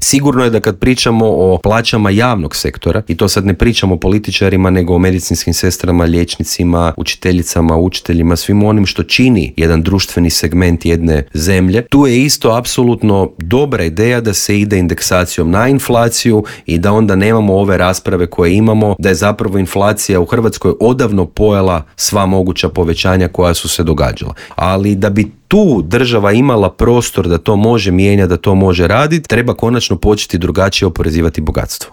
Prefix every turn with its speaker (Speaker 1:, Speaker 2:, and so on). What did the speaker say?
Speaker 1: Sigurno je da kad pričamo o plaćama javnog sektora, i to sad ne pričamo o političarima, nego o medicinskim sestrama, liječnicima, učiteljicama, učiteljima, svim onim što čini jedan društveni segment jedne zemlje, tu je isto apsolutno dobra ideja da se ide indeksacijom na inflaciju i da onda nemamo ove rasprave koje imamo, da je zapravo inflacija u Hrvatskoj odavno pojela sva moguća povećanja koja su se događala. Ali da bi tu država imala prostor da to može mijenjati, da to može raditi, treba konačno početi drugačije oporezivati bogatstvo.